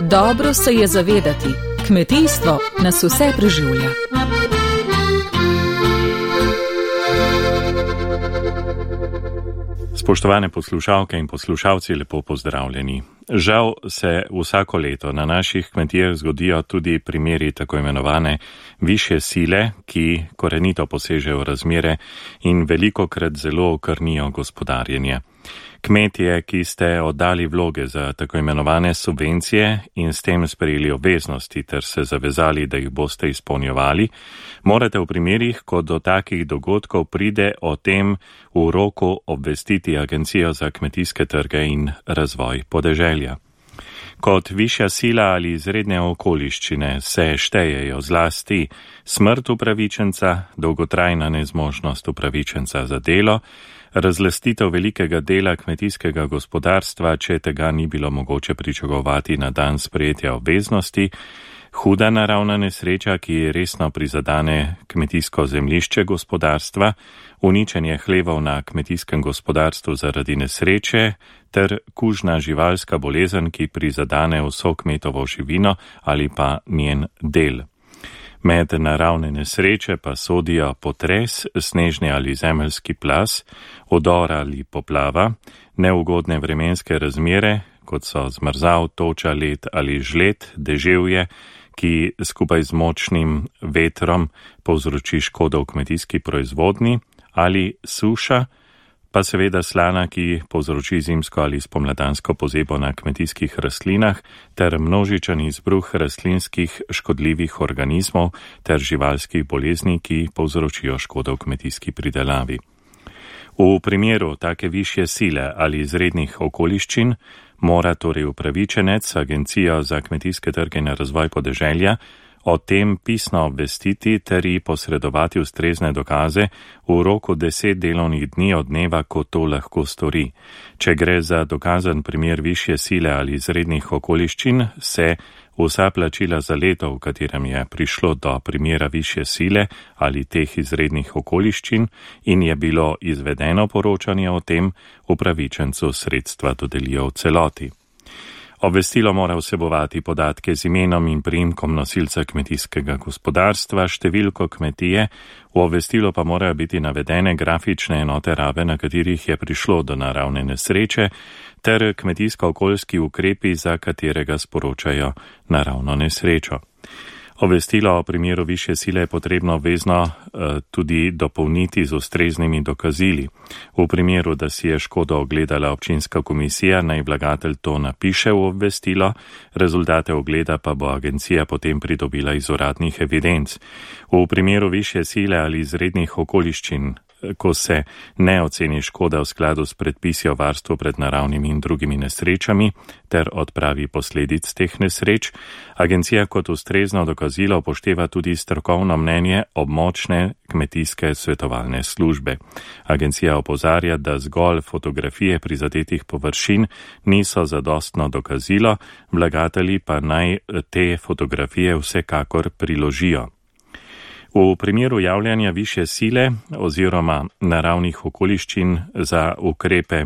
Dobro se je zavedati, kmetijstvo nas vse preživlja. Spoštovane poslušalke in poslušalci, lepo pozdravljeni. Žal se vsako leto na naših kmetijah zgodijo tudi primeri tako imenovane višje sile, ki korenito posežejo razmere in velikokrat zelo okrnijo gospodarjenje. Kmetje, ki ste oddali vloge za tako imenovane subvencije in s tem sprejeli obveznosti ter se zavezali, da jih boste izpolnjevali, morate v primerih, ko do takih dogodkov pride, o tem v roku obvestiti Agencijo za kmetijske trge in razvoj podeželja. Kot višja sila ali izredne okoliščine se štejejo zlasti smrt upravičenca, dolgotrajna nezmožnost upravičenca za delo, razlastitev velikega dela kmetijskega gospodarstva, če tega ni bilo mogoče pričakovati na dan sprejetja obveznosti, huda naravna nesreča, ki resno prizadane kmetijsko zemljišče gospodarstva, uničenje hlevov na kmetijskem gospodarstvu zaradi nesreče ter kužna živalska bolezen, ki prizadane vso kmetovo živino ali pa njen del. Med naravne nesreče pa sodijo potres, snežni ali zemeljski plaz, vdor ali poplava, neugodne vremenske razmere, kot so zmrzal, toča, led ali žled, deževje, ki skupaj z močnim vetrom povzroči škodo v kmetijski proizvodnji, ali suša, pa seveda slana, ki povzroči zimsko ali spomladansko pozebo na kmetijskih rastlinah, ter množičen izbruh rastlinskih škodljivih organizmov ter živalskih bolezni, ki povzročijo škodo v kmetijski pridelavi. V primeru take višje sile ali izrednih okoliščin mora torej upravičenec Agencijo za kmetijske trge in razvoj podeželja o tem pisno obvestiti ter ji posredovati ustrezne dokaze v roku 10 delovnih dni od dneva, ko to lahko stori. Če gre za dokazan primer višje sile ali izrednih okoliščin, se vsa plačila za leto, v katerem je prišlo do primera višje sile ali teh izrednih okoliščin in je bilo izvedeno poročanje o tem, upravičencu sredstva dodelijo v celoti. Obvestilo mora vsebovati podatke z imenom in priimkom nosilca kmetijskega gospodarstva, številko kmetije, v obvestilo pa morajo biti navedene grafične enote rabe, na katerih je prišlo do naravne nesreče, ter kmetijsko-okoljski ukrepi, za katerega sporočajo naravno nesrečo. Obvestilo o primeru višje sile je potrebno obvezno tudi dopolniti z ustreznimi dokazili. V primeru, da si je škodo ogledala občinska komisija, naj vlagatelj to napiše v obvestilo, rezultate ogleda pa bo agencija potem pridobila iz uradnih evidenc. V primeru višje sile ali izrednih okoliščin, ko se ne oceni škoda v skladu s predpisi o varstvu pred naravnimi in drugimi nesrečami ter odpravi posledic teh nesreč, agencija kot ustrezno dokazilo upošteva tudi strokovno mnenje območne kmetijske svetovalne službe. Agencija opozarja, da zgolj fotografije prizadetih površin niso zadostno dokazilo, vlagatelji pa naj te fotografije vsekakor priložijo. V primeru javljanja višje sile oziroma naravnih okoliščin za ukrepe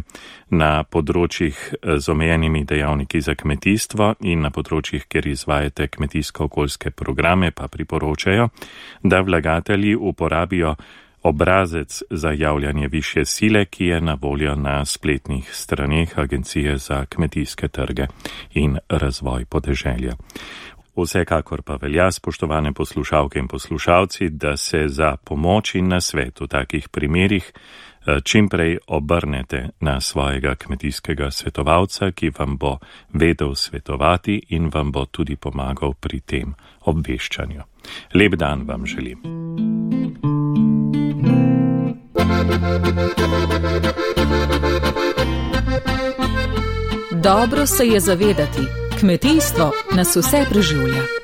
na področjih z omejenimi dejavniki za kmetijstvo in na področjih, kjer izvajate kmetijsko-okoljske programe, pa priporočajo, da vlagatelji uporabijo obrazec za javljanje višje sile, ki je na voljo na spletnih straneh Agencije za kmetijske trge in razvoj podeželja. Vsekakor pa velja, spoštovane poslušalke in poslušalci, da se za pomoč in nasvet v takih primerih čimprej obrnete na svojega kmetijskega svetovalca, ki vam bo vedel svetovati in vam bo tudi pomagal pri tem obveščanju. Lep dan vam želim. Dobro se je zavedati, kmetijstvo nas vse preživlja.